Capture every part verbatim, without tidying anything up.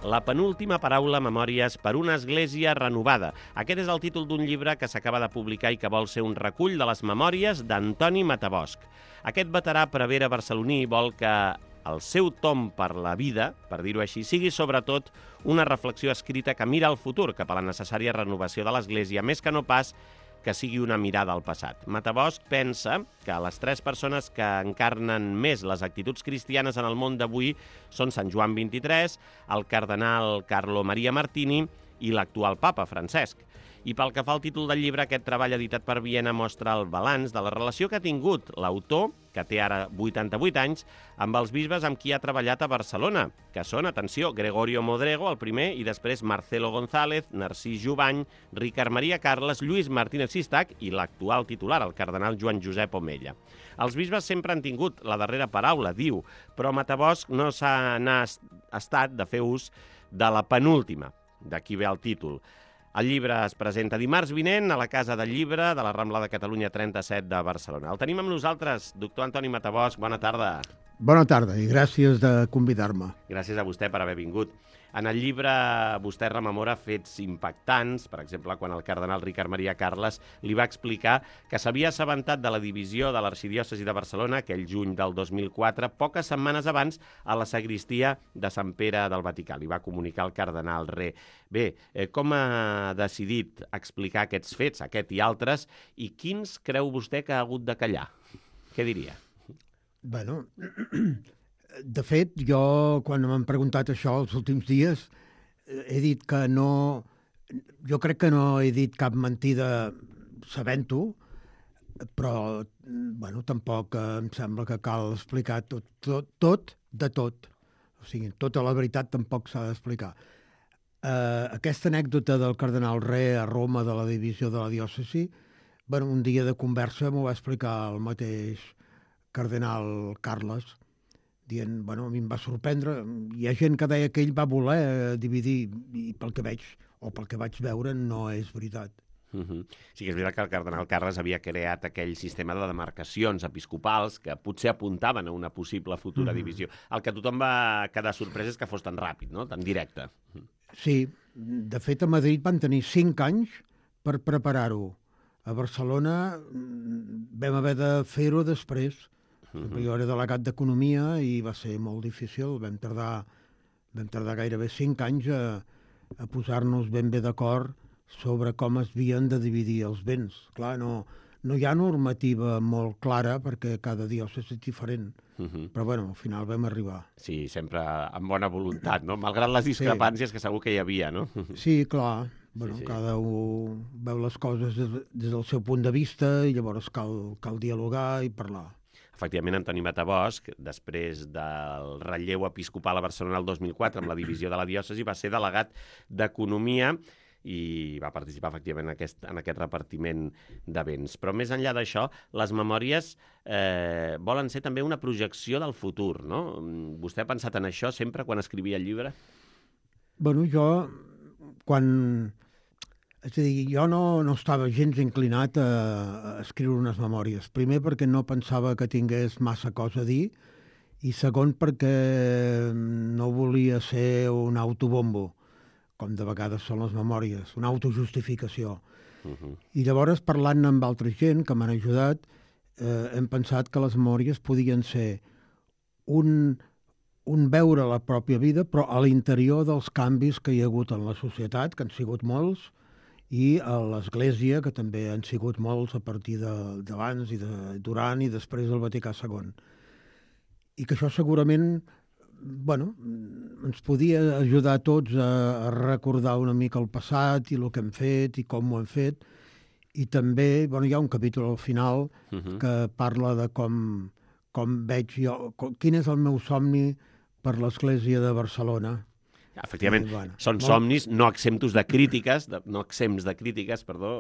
La penúltima paraula, memòries per una església renovada. Aquest és el títol d'un llibre que s'acaba de publicar i que vol ser un recull de les memòries d'Antoni Matabosch. Aquest veterà prevere barceloní vol que el seu tom per la vida, per dir-ho així, sigui sobretot una reflexió escrita que mira al futur cap a la necessària renovació de l'Església, més que no pas que sigui una mirada al passat. Matabosch pensa que les tres persones que encarnen més les actituds cristianes en el món d'avui són Sant Joan vint-i-tres, el cardenal Carlo Maria Martini i l'actual papa, Francesc. I pel que fa al títol del llibre, aquest treball editat per Viena mostra el balanç de la relació que ha tingut l'autor, que té ara vuitanta-vuit anys, amb els bisbes amb qui ha treballat a Barcelona, que són, atenció, Gregorio Modrego, el primer, i després Marcelo González, Narcís Jubany, Ricard Maria Carles, Lluís Martínez Sistac i l'actual titular, el cardenal Joan Josep Omella. Els bisbes sempre han tingut la darrera paraula, diu, però Matabosch no s'ha estat de fer ús de la penúltima, d'aquí ve el títol. El llibre es presenta dimarts vinent a la Casa del Llibre de la Rambla de Catalunya trenta-set de Barcelona. El tenim amb nosaltres, doctor Antoni Matabosch. Bona tarda. Bona tarda i gràcies de convidar-me. Gràcies a vostè per haver vingut. En el llibre vostè rememora fets impactants, per exemple, quan el cardenal Ricard Maria Carles li va explicar que s'havia assabentat de la divisió de l'arxidiòcesi de Barcelona aquell juny del dos mil quatre, poques setmanes abans, a la sagristia de Sant Pere del Vaticà. Li va comunicar el cardenal Re. Bé, eh, com ha decidit explicar aquests fets, aquest i altres, i quins creu vostè que ha hagut de callar? Què diria? Bueno, de fet, jo, quan m'han preguntat això els últims dies, he dit que no... Jo crec que no he dit cap mentida sabent-ho, però, bueno, tampoc em sembla que cal explicar tot, tot, tot de tot. O sigui, tota la veritat tampoc s'ha d'explicar. Uh, aquesta anècdota del cardenal Re a Roma de la divisió de la diòcesi, bueno, un dia de conversa m'ho va explicar el mateix cardenal Carles, dient, bueno, a mi em va sorprendre. Hi ha gent que deia que ell va voler dividir, i pel que veig, o pel que vaig veure, no és veritat. Uh-huh. Sí que és veritat que el cardenal Carles havia creat aquell sistema de demarcacions episcopals que potser apuntaven a una possible futura uh-huh. divisió. El que tothom va quedar sorprès és que fos tan ràpid, no? Tan directe. Sí, de fet a Madrid van tenir cinc anys per preparar-ho. A Barcelona vam haver de fer-ho després. Uh-huh. Jo era delegat d'Economia i va ser molt difícil. Vam tardar, vam tardar gairebé cinc anys a, a posar-nos ben bé d'acord sobre com es havien de dividir els béns. Clar, no, no hi ha normativa molt clara perquè cada diòcesi és diferent. Uh-huh. Però, bueno, al final vam arribar. Sí, sempre amb bona voluntat, no? Malgrat les discrepàncies sí. que segur que hi havia, no? Sí, clar. Bueno, sí, sí. Cada un veu les coses des, des del seu punt de vista i llavors cal, cal dialogar i parlar. Efectivament, Antoni Matabosch, després del relleu episcopal a Barcelona el dos mil quatre amb la divisió de la diòcesi, va ser delegat d'Economia i va participar efectivament en aquest, en aquest repartiment de béns. Però més enllà d'això, les memòries eh, volen ser també una projecció del futur, no? Vostè ha pensat en això sempre quan escrivia el llibre? Bueno, jo, quan... És a dir, jo no, no estava gens inclinat a, a escriure unes memòries. Primer, perquè no pensava que tingués massa cosa a dir, i segon, perquè no volia ser un autobombo, com de vegades són les memòries, una autojustificació. Uh-huh. I llavors, parlant amb altra gent que m'han ajudat, eh, hem pensat que les memòries podien ser un, un veure la pròpia vida, però a l'interior dels canvis que hi ha hagut en la societat, que han sigut molts, i a l'Església, que també han sigut molts a partir d'abans i de, durant i després del Vaticà segon. I que això segurament, bueno, ens podia ajudar a tots a, a recordar una mica el passat i el que hem fet i com ho hem fet. I també, bueno, hi ha un capítol al final uh-huh. que parla de com, com veig jo, com, quin és el meu somni per l'Església de Barcelona. Efectivament, sí, bueno, són molt... somnis no exemptos de crítiques, de, no exempts de crítiques, perdó,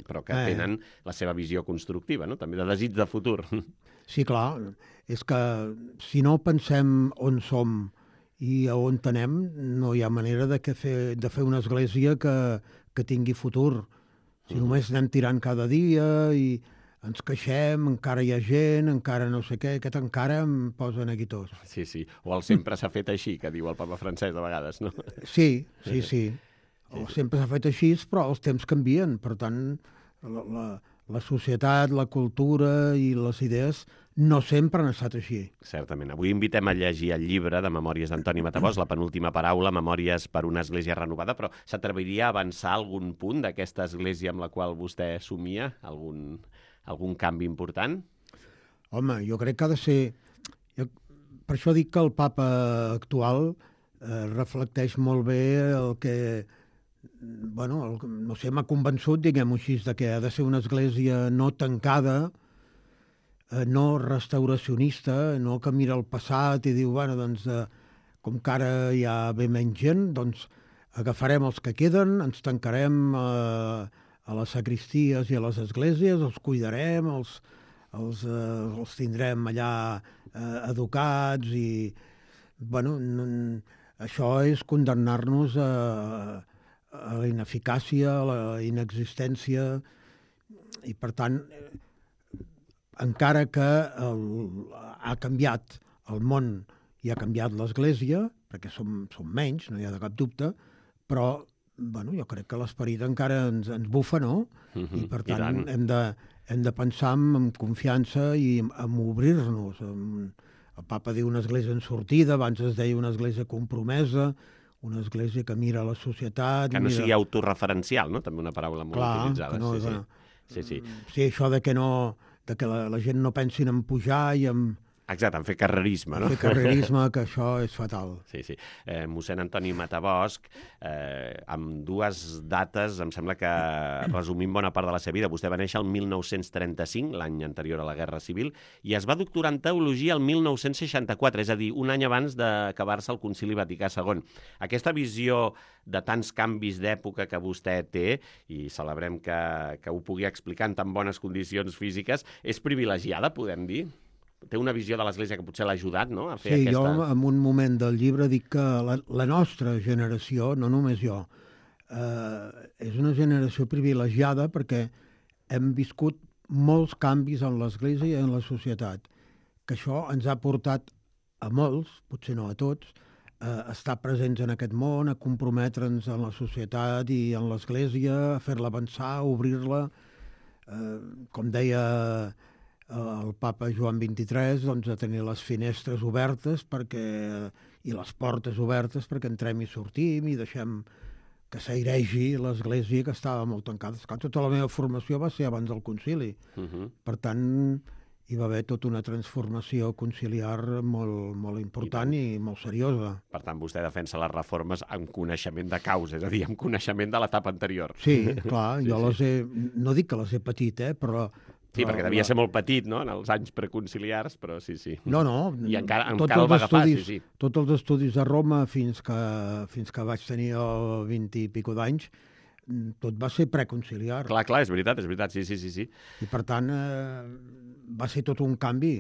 però que eh. tenen la seva visió constructiva, no? També de desig de futur. Sí, clar, és que si no pensem on som i a on anem, no hi ha manera de, que fer, de fer una església que, que tingui futur. Si uh-huh. només anem tirant cada dia i ens queixem, encara hi ha gent, encara no sé què, aquest encara em posa neguitós. Sí, sí, o el sempre s'ha fet així, que diu el papa francès de vegades, no? Sí, sí, sí. O sempre s'ha fet així, però els temps canvien. Per tant, la, la, la societat, la cultura i les idees no sempre han estat així. Certament. Avui invitem a llegir el llibre de Memòries d'Antoni Matabosc, La penúltima paraula, Memòries per una església renovada, però s'atreviria a avançar algun punt d'aquesta església amb la qual vostè somia? Algun, algun canvi important? Home, jo crec que ha de ser... Jo, per això dic que el papa actual eh, reflecteix molt bé el que... Bueno, el, no sé, m'ha convençut, diguem-ho així, de que ha de ser una església no tancada, eh, no restauracionista, no que mira el passat i diu, bueno, doncs, eh, com que ara hi ha bé menys gent, doncs agafarem els que queden, ens tancarem eh, a les sacristies i a les esglésies, els cuidarem, els, els, eh, els tindrem allà eh, educats i, bueno, n- això és condemnar-nos a, a la ineficàcia, a la inexistència, i per tant, encara que el, ha canviat el món i ha canviat l'Església, perquè som, som menys, no hi ha de cap dubte, però bueno, jo crec que l'esperit encara ens, ens bufa, no? Mm-hmm, I per i tant, tant. hem de, hem de pensar en, en confiança i en, en obrir-nos. En, el papa diu una església en sortida, abans es deia una església compromesa, una església que mira la societat... Que no mira... sigui autorreferencial, no? També una paraula molt Clar, utilitzada. que no, sí, sí. bueno, sí, sí. sí, això de que, no, de que la, la gent no pensin en pujar i en, Exacte, en fer carrerisme, no? en fer carrerisme, que això és fatal. Sí, sí. Eh, mossèn Antoni Matabosc, eh, amb dues dates, em sembla que resumint bona part de la seva vida. Vostè va néixer el mil nou-cents trenta-cinc, l'any anterior a la Guerra Civil, i es va doctorar en teologia el mil nou-cents seixanta-quatre, és a dir, un any abans d'acabar-se el Concili Vaticà segon. Aquesta visió de tants canvis d'època que vostè té, i celebrem que, que ho pugui explicar en tan bones condicions físiques, és privilegiada, podem dir? Té una visió de l'Església que potser l'ha ajudat, no?, a fer Sí, aquesta... jo en un moment del llibre dic que la, la nostra generació, no només jo, eh, és una generació privilegiada perquè hem viscut molts canvis en l'Església i en la societat, que això ens ha portat a molts, potser no a tots, a estar presents en aquest món, a comprometre'ns en la societat i en l'Església, a fer-la avançar, a obrir-la. Eh, com deia el papa Joan vint-i-tres, doncs, a tenir les finestres obertes perquè, i les portes obertes perquè entrem i sortim i deixem que s'airegi l'Església, que estava molt tancada. Esclar, tota la meva formació va ser abans del concili. Uh-huh. Per tant, hi va haver tota una transformació conciliar molt, molt important i, i molt seriosa. Per tant, vostè defensa les reformes amb coneixement de causa, és a dir, amb coneixement de l'etapa anterior. Sí, clar, Sí, jo sí. les he... No dic que les he patit, eh, però... Sí, però perquè devia la- ser molt petit, no?, en els anys preconciliars, però sí, sí. No, no. I encara, tots encara el els va agafar, estudis, sí, sí. Tots els estudis a Roma fins que, fins que vaig tenir el vint i pico d'anys, tot va ser preconciliar. Clar, clar, és veritat, és veritat, sí, sí, sí. sí. I per tant, eh, va ser tot un canvi.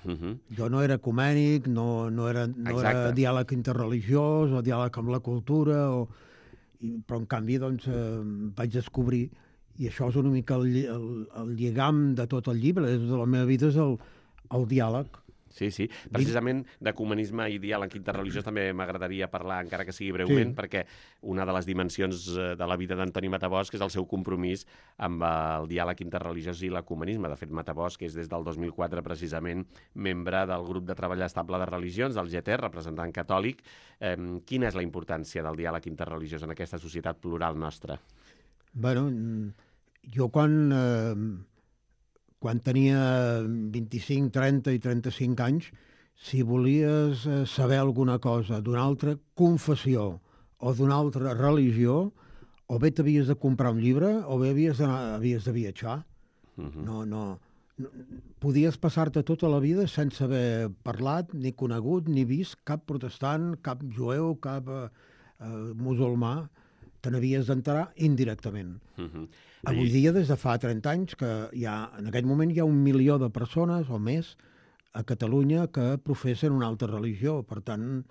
Uh-huh. Jo no era ecumènic, no, no, era, no era Exacte. diàleg interreligiós o diàleg amb la cultura, o, i, però en canvi doncs, eh, vaig descobrir, i això és una mica el, lli- el, el lligam de tot el llibre, és de la meva vida, és el, el diàleg. Sí, sí. Precisament d'ecumenisme i diàleg interreligiós també m'agradaria parlar, encara que sigui breument, Sí. perquè una de les dimensions eh, de la vida d'Antoni Matabosc és el seu compromís amb el diàleg interreligiós i l'ecumenisme. De fet, Matabosc és des del dos mil quatre precisament membre del grup de treball estable de religions, del G T, representant catòlic. Eh, quina és la importància del diàleg interreligiós en aquesta societat plural nostra? Bueno, jo quan, eh, quan tenia vint-i-cinc, trenta i trenta-cinc anys, si volies eh, saber alguna cosa d'una altra confessió o d'una altra religió, o bé t'havies de comprar un llibre o bé havies de, havies de viatjar. Uh-huh. No, no, no, podies passar-te tota la vida sense haver parlat, ni conegut, ni vist cap protestant, cap jueu, cap eh, eh, musulmà. Te n'havies d'enterar indirectament. Uh-huh. Avui dia, des de fa trenta anys, que hi ha, en aquest moment hi ha un milió de persones o més a Catalunya que professen una altra religió. Per tant,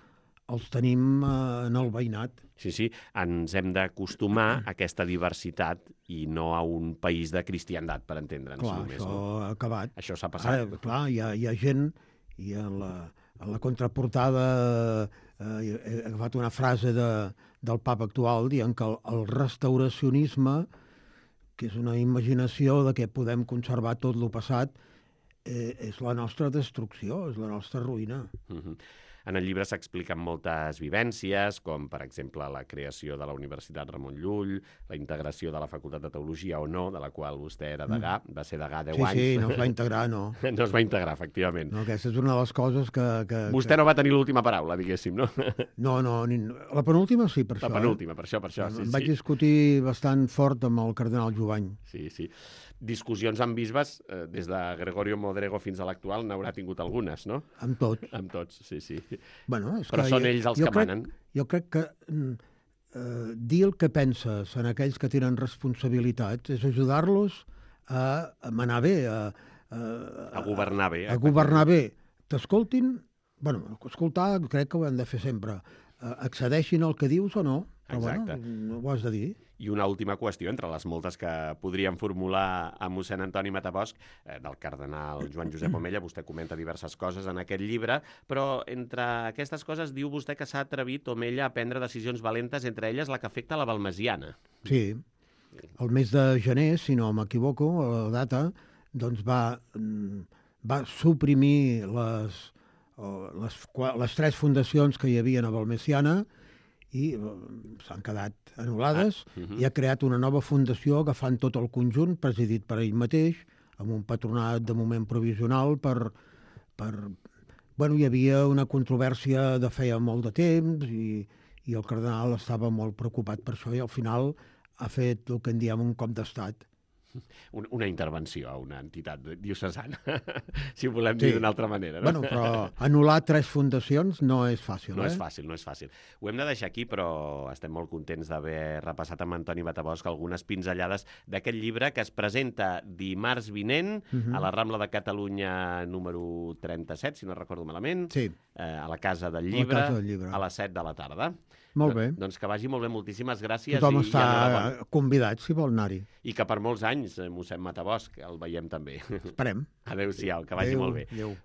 els tenim eh, en el veïnat. Sí, sí, ens hem d'acostumar a aquesta diversitat i no a un país de cristiandat, per entendre'ns. Clar, només, això no? ha acabat. Això s'ha passat. Ara, clar, hi ha, hi ha gent, i a la, a la contraportada eh, he agafat una frase de, del papa actual dient que el, el restauracionisme, que és una imaginació de que podem conservar tot lo passat, eh, és la nostra destrucció, és la nostra ruïna. Uh-huh. En el llibre s'expliquen moltes vivències, com, per exemple, la creació de la Universitat Ramon Llull, la integració de la Facultat de Teologia o no, de la qual vostè era degà, mm. va ser degà deu sí, anys. Sí, sí, no es va integrar, no. No es va integrar, efectivament. No, aquesta és una de les coses que... que vostè que... no va tenir l'última paraula, diguéssim, no? No, no, ni... la penúltima sí, per la això. La penúltima, eh? per això, per això, sí, em sí. vaig discutir bastant fort amb el cardenal Jovany. Sí, sí. Discussions amb bisbes, eh, des de Gregorio Modrego fins a l'actual, n'haurà tingut algunes, no? Amb tots. Amb tots, sí, sí. Bueno, és però que són jo, ells els jo que crec, manen. Jo crec que eh, dir el que penses en aquells que tenen responsabilitats és ajudar-los a, a manar bé, a, a, a governar bé. A, a governar bé. T'escoltin, bueno, escoltar crec que ho hem de fer sempre. Uh, accedeixin al que dius o no, però exacte. Bueno, ho has de dir. I una última qüestió, entre les moltes que podríem formular a mossèn Antoni Matabosc, eh, del cardenal Joan Josep Omella, vostè comenta diverses coses en aquest llibre, però entre aquestes coses diu vostè que s'ha atrevit Omella a prendre decisions valentes, entre elles la que afecta la Balmesiana. Sí, el mes de gener, si no m'equivoco, la data, doncs va, va suprimir les, les, les tres fundacions que hi havia a Balmesiana i s'han quedat anul·lades, ah, uh-huh. i ha creat una nova fundació agafant tot el conjunt, presidit per ell mateix, amb un patronat de moment provisional per... per... Bueno, hi havia una controvèrsia de feia molt de temps i, i el cardenal estava molt preocupat per això i al final ha fet el que en diem un cop d'estat. Una intervenció a una entitat diocesana, si ho volem dir sí. d'una altra manera. No? Bueno, però anul·lar tres fundacions no és fàcil. No eh? és fàcil, no és fàcil. Ho hem de deixar aquí, però estem molt contents d'haver repassat amb Antoni Matabosc algunes pinzellades d'aquest llibre que es presenta dimarts vinent uh-huh. a la Rambla de Catalunya número trenta-set, si no recordo malament, sí. eh, a la Casa del Llibre, Casa del Llibre, a les set de la tarda. Molt bé. Doncs que vagi molt bé, moltíssimes gràcies. Tothom i, està i convidat, si vol anar-hi. I que per molts anys, mossèn Matabosc, el veiem també. Esperem. Adéu-siau, que vagi adéu, molt bé. Adéu.